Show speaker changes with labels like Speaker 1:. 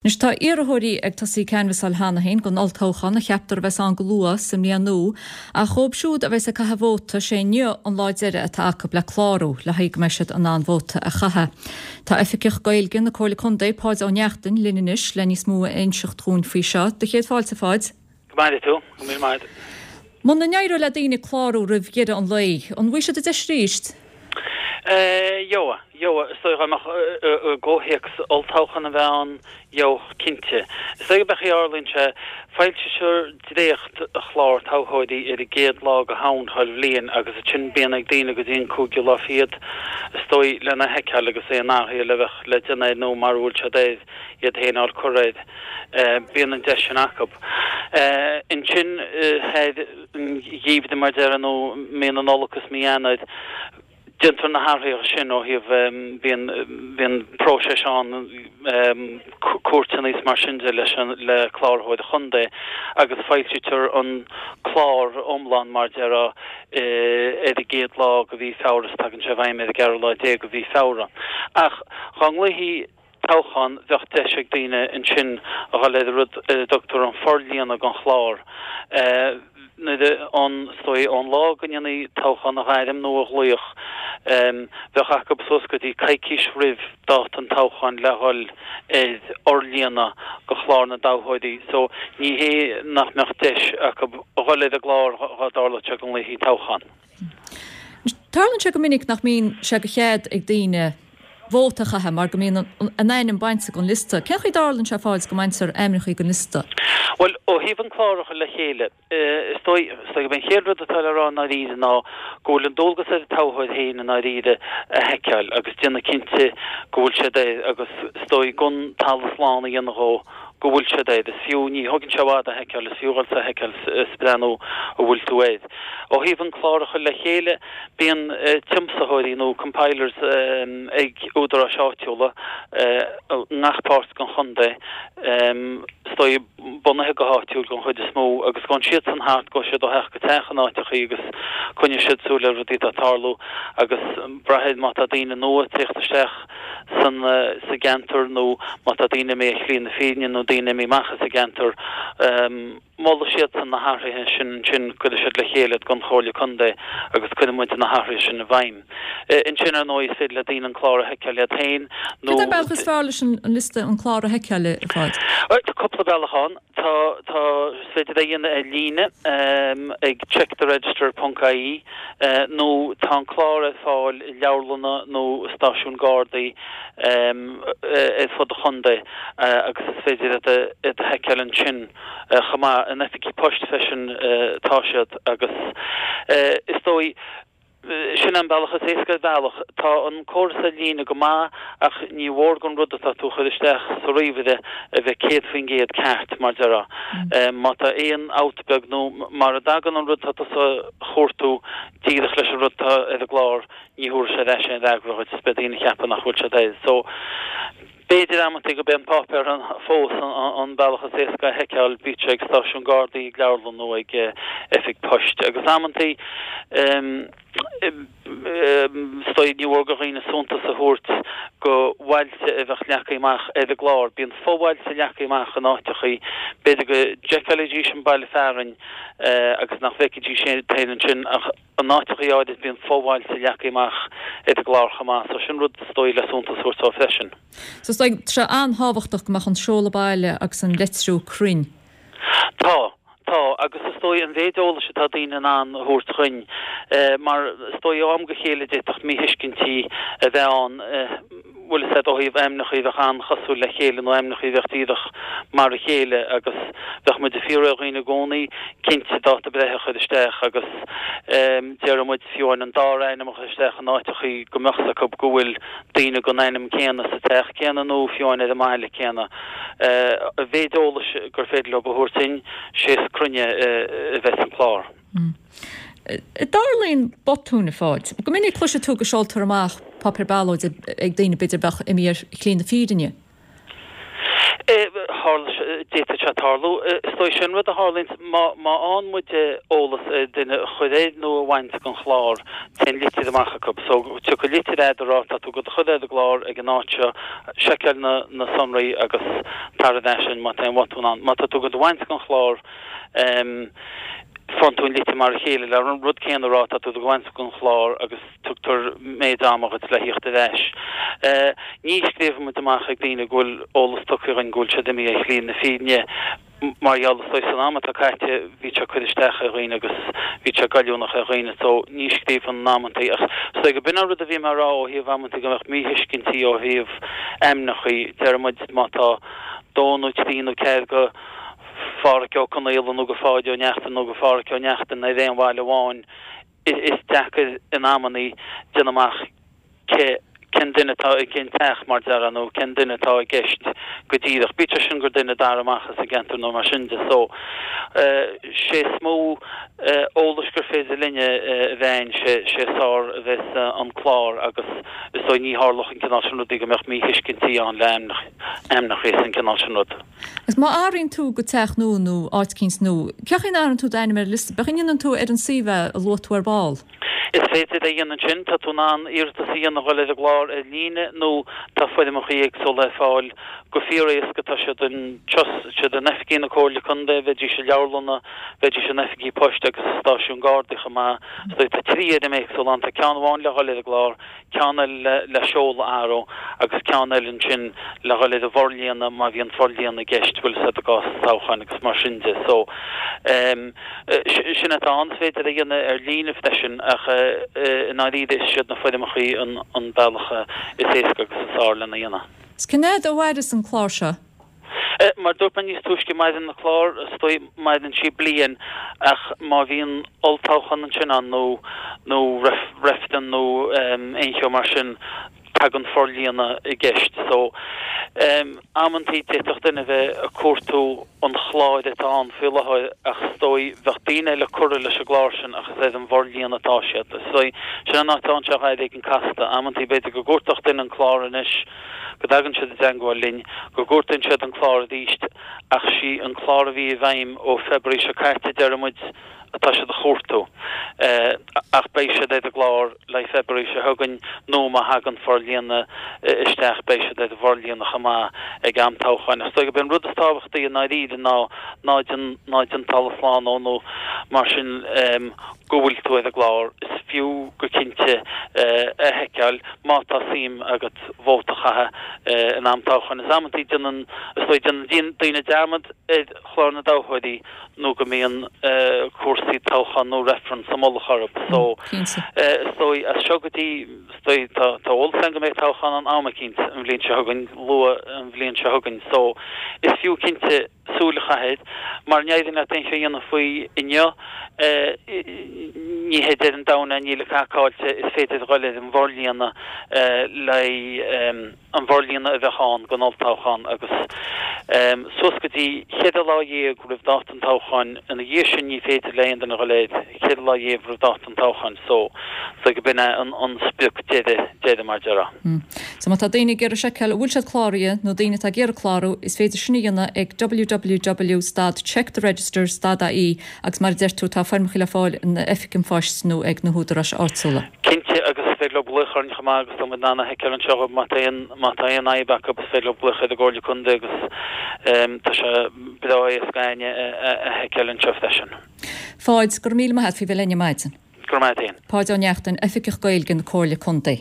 Speaker 1: Anois tá iarrthóirí ag tosaí canbhasáil cheana féin don olltoghchán a cheaptar a bheas ann go luath sa mbliain nua, ach dhóibh siúd a bheas ag caitheamh vóta, sé inniu an lá deiridh atá acu le clárú le haghaidh go mbeidh siad in ann vóta a chaitheamh. Tá Oifigeach Gaeilge na Comhairle Contae, Páid Ó Neachtain, linn anois le níos mó a inseacht dhúinn faoi seo. Do chéad fáilte, a Pháid.
Speaker 2: Go maire tú. Go míle maith.
Speaker 1: Muna n-éireoidh le daoine clárú roimh dheireadh an lae, an bhfaighidh siad an deis arís?
Speaker 2: Gheobhaidh, gheobhaidh. Is dóigh dá mbeadh i gcomhthéacs olltoghchán a bheith ann, gheobhadh cinnte. Is dóigh gurb é an chaoi a dtarlaíonn sé, foilsítear dréacht chlár toghthóirí ar an gcéad lá de Shamhain chuile bhliain agus ansin bíonn ag daoine go dtí an cúigiú lá fichead, is dóigh, lena sheiceáil agus aon athruithe a bheadh le déanamh air nó mara bhfuil siad air, iad féin a fháil curtha air. Bíonn an deis sin acu. Ansin, thar an gheimhreadh, mar a déarfá, nó mí na Nollag is mí Eanáir, déantar na hathruithe sin ó thaobh, bíonn, bíonn próiseas ann, cuairteanna is mar sin de leis an, le Cláraitheoir an Chontae agus foilsítear an clár iomlán, mar a déarfá, ar an gcéad lá de mhí Feabhra is tagann sé i bhfeidhm ar an gceathrú lá déag de mhí Feabhra. Ach dá nglaofaí toghchán, bheadh deis ag daoine ansin a dhul ar an rud ar a dtugtar an forlíonadh den chlár. Nuair a, ón, is dóigh, ón lá go ndéanfaí toghchán a ghairm nó a ghlaoch, bheadh acu suas go dtí coicís roimh dáta an toghcháin le dhul ar fhorlíonadh de chlár na dtoghthóirí. So, ní hé nach mbeadh deis acu a dhul ar an gclár dhá dtarlódh sé go nglaofaí toghchán.
Speaker 1: Tarlaíonn sé go minic nach mbíonn sé de chead ag daoine vóta a chaitheamh mar go mbíonn a n-ainm bainte den liosta. Cén chaoi a dtarlaíonn sé, a Pháid, go mbaintear ainmneacha den liosta?
Speaker 2: Bhuel, ó thaobh an clár a chur le chéile, is dóigh, is dóigh gurb é an chéad rud atá le rá i ndáiríre ná go bhfuil an dualgas ar an toghthóir féin i ndáiríre a sheiceáil agus déanamh cinnte go bhfuil siad air agus is dóigh don talamh slán a dhéanamh dhó go bhfuil siad air. Is fiú, ní thógann sé i bhfad a sheiceáil, is fiú dhul is a sheiceáil is breathnú an bhfuil tú air. Ó thaobh an clár a chur le chéile, bíonn tiomsaitheoirí nó compilers ag údaráis áitiúla i ngach páirt den chontae, is dóigh, bunaithe go háitiúil den chuid is mó, agus gabhann siadsan thart, gabhfaidh siad ó theach go teach in áiteachaí agus coinneoidh siad súil ar rudaí atá ag tarlú agus braithfidh má tá daoine nua ag tíocht isteach san sa gceantar nó má tá daoine imithe ar shlí na fírinne nó daoine imithe amach as an gceantar. Molfaidh siadsan na hathruithe sin ansin, cuirfidh siad le chéile iad don Chomhairle Contae agus cuirfidh muid na hathruithe sin i bhfeidhm. Ansin, ar ndóigh, is féidir le daoine an clár a sheiceáil iad féin
Speaker 1: nó. Cad é an bealach is fearr leis an liosta, an clár a sheiceáil, a Pháid?
Speaker 2: Tá cúpla bealach ann. Tá, tá, is féidir é a dhéanamh ar líne ag checktheregister ponc ie nó tá an clár ar fáil i leabharlanna nó i stáisiúin Gardaí ar fud an chontae agus is féidir iad a sheiceáil ansin chomh maith. In oifigí poist freisin atá siad agus is dóigh, sin an bealach is éasca ar bhealach. Tá an córas ar líne go maith ach ní mhór don rud atá tú a chur isteach sa ríomhaire a bheith 100% ceart, mar déarfá. Má tá aon fhabht beag nó mara dtagann an rud atá tusa a chuartú díreach leis an rud atá ar an gclár, ní thabharfaidh sé ar ais aon fhreagra dhuit is beidh daoine ag ceapadh nach bhfuil siad air. So, b'fhéidir amantaí gurb é an páipéar fós an bealach is éasca a sheiceáil, bíodh sé ag stáisiún Gardaí, ag leabharlann nó ag oifig poist. Agus amantaí, is dóigh, ní mhór do dhaoine suntas a thabhairt go bhailte a bheadh leagtha amach ar an gclár. Bíonn fo-bhailte leagtha amach in áiteachaí. B'fhéidir go bhfeicfidís an baile fearainn agus nach bhfeicfidís iad féin ansin ach, In áiteachaí áirid bíonn fo-bhailte leagtha amach ar an gclár chomh maith, so sin rud is dóigh le suntas a thabhairt dó freisin.
Speaker 1: So is dóigh, tá sé an-tábhachtach go mbeadh an seoladh baile agus an leitriú cruinn.
Speaker 2: Tá, tá, agus is dóigh an mhéid eolais atá daoine in ann a thabhairt dhuinn, mar is dóigh ó am go chéile d'fhéadfadh míthuiscintí a bheith ann, bhfuil fhios a'd, ó thaobh ainmneacha a bheadh an-chosúil le chéile nó ainmneacha a bheadh díreach mar a chéile agus bheadh muid ag fiafraí ar dhaoine i gcónaí cinnte dáta breithe a chur isteach agus déarfaidh muid fiú amháin an dara ainm a chur isteach in áiteachaí go mbeadh 's acu go bhfuil daoine den ainm céanna sa teach céanna nó fiú amháin ar an mbaile céanna. A mhéid eolais gur féidir leo a thabhairt duinn, sé is cruinne a bheas an clár.
Speaker 1: An dtarlaíonn botúin, a Pháid? Go minic cloisfidh tú go seoltar amach páipéar ballóide ag daoine b'fhéidir a bheadh imithe ar shlí na fírinne.
Speaker 2: Tharla sé, d'fhéadfadh sé tarlú. Is dóigh sin rud a tharlaíonns má má fhaigheann muid eolas ar duine a chur air nó a bhaint den chlár, téann litir amach acu. So, tiocfaidh litir a'd a rá tá tú do chur ar an gclár ag an áit seo, seiceáil na na sonraí agus tar ar ais má tá aon bhotún ann. Má tá tú do bhaint den chlár, faigheann tú an litir mar a chéile le an rud céanna a rá tá tú do bhaint den chlár agus tugtar méid ama dhuit le thíocht ar ais. Ní scríobhann muid amach ag daoine go bhfuil eolas tugtha againn go bhfuil siad imithe ar shlí na fírinne mar gheall is dóigh san am atá caite bhí sé ag cur isteach ar dhaoine agus bhí sé goilliúnach ar dhaoine so ní scríobhann in amantaí ach is dóigh go b'in an rud a bhí mé a rá ó thaobh amantaí go mbeadh míthuiscintí ó thaobh ainmneachaí deir muid má tá dó nó trí nó ceathair go Phádhraic Ó Conaola nó go Pháid Ó Neachtain nó go Phádhraic Ó Neachtain ar aon bhaile amháin is deacair in amannaí déanamh amach cé cén duine atá i gcén teach, mar déarfá, nó cén duine atá i gceist go díreach. Bíodh sé sin gur duine dara amach as an gceantar nó mar sin de. So, sé is mó eolais gur féidir linne a bheith a'inn, sé sé is fearr a bheas an clár agus is dóigh ní tharlódh an cineál sin rudaí go mbeadh míthuiscintí ann le ainmneacha is an cineál sin rud.
Speaker 1: Agus má athraíonn tú go teach nua nó áit eicínt nua, cén chaoi a n-athraíonn tú d'ainm ar an liosta? Cén chaoi a ndéanann tú ar an suíomh é a luaigh tú ar ball?
Speaker 2: Is féidir é a dhéanamh ansin. Tá tú in ann iarratas a dhéanamh a dhul ar an gclár ar líne nó tá foirmeacha éagsúla ar fáil go fíor-éasca. Tá siad anseo, siad in oifigí na Comhairle Contae, bheidís i leabharlanna, bheidís in oifigí poist agus i stáisiúin Gardaí chomh maith. Tá trí fhoirm éagsúla ann. Tá ceann amháin le dhul ar an gclár, ceann eile le seoladh a athrú agus ceann eile ansin le dhul ar an bhforlíonadh má bhíonn forlíonadh i gceist, bhfuil fhios a'd i gcás toghcháin agus mar sin de. So, ehm, sin atá ann, is féidir a dhéanamh ar líne freisin ach i ndáiríre is iad na foirmeachaí an bealach is éasca agus is fearr lena dhéanamh.
Speaker 1: Is cén fhad a mhaireas an clár seo?
Speaker 2: Mar dúirt mé níos túisce, maireann an clár, is dóigh, maireann sí bliain ach má bhíonn olltoghchán ansin ann nó nó reifreann nó aon cheo mar sin, tagann forlíonadh i gceist. So, amantaí d'fhéadfadh duine a bheith ag cuartú an chláir atá ann faoi láthair ach is dóigh bheadh daoine eile curtha leis an gclár sin ach is ar an bhforlíonadh atá siad. Is dóigh, sin an áit a dtéann sé dhá éigin casta. Amantaí b'fhéidir go gcuartódh duine an clár anois, go dtagann siad i dteangmháil linn, go gcuartaíonn siad an clár arís, ach sí an clár a bhí i bhfeidhm ó February seo caite, deir muid, atá siad a chuartú. Ach beidh siad ar an gclár le February seo chugainn nó má thagann forlíonadh isteach beidh siad ar an bhforlíonadh chomh maith ag am toghcháin. Ach is dóigh gurb é an rud is tábhachtaí i ndáiríre ná ná déan ná déan talamh slán ó nó mar sin go bhfuil tú ar an gclár. Is fiú go cinnte a sheiceáil má tá suim agat vóta a chaitheamh in am toghcháin. Is amantaí déanann, is dóigh, déanann daoine dearmad ar chlár na dtoghthóirí nó go mbíonn cúrsaí toghcháin nó reifreann sa mullach orthu. So, is dóigh, as seo go dtí, is dóigh, tá eolas againn go mbeidh toghchán ann am eicínt an bhliain seo chugainn, luath an bhliain seo chugainn. So, is fiú cinnte súil a chaitheamh air. Mara n-éiríonn leat aon cheo a dhéanamh faoi inniu, ní hé deireadh an domhain é, níl cadhcáilte, is féidir a dhul ar an bhforlíonadh le an bhforlíonadh a bheadh ann don olltoghchán agus suas go dtí cheithre lá dhéag roimh dáta an toghcháin, ina dhiaidh sin ní féidir le aon duine a dhul air, cheithre lá dhéag roimh dáta an toghcháin so so go b'in é an sprioc deiridh deiridh mar
Speaker 1: déarfá. So má tá daoine ag iarraidh seiceáil an bhfuil siad cláraithe nó daoine atá ag iarraidh clárú, is féidir sin a dhéanamh ag www stad check the register stad ie agus mar a deir tú tá foirmeacha le fáil in oifig an phoist nó ag na húdaráis áitiúla.
Speaker 2: Cinnte, agus is féidir leo glaoch orainn chomh maith agus tá muid in ann a sheiceáil anseo dhóibh má tá aon má tá aon fhadhb acu is féidir leo glaoch ar an gComhairle Contae agus tá sé breá éasca againne a sheiceáil anseo freisin.
Speaker 1: Pháid, go raibh míle maith a't faoi bheith linn ar maidin.
Speaker 2: Go raibh maith a't fhéin.
Speaker 1: Páid Ó Neachtain, Oifigeach Gaeilge na Comhairle Contae.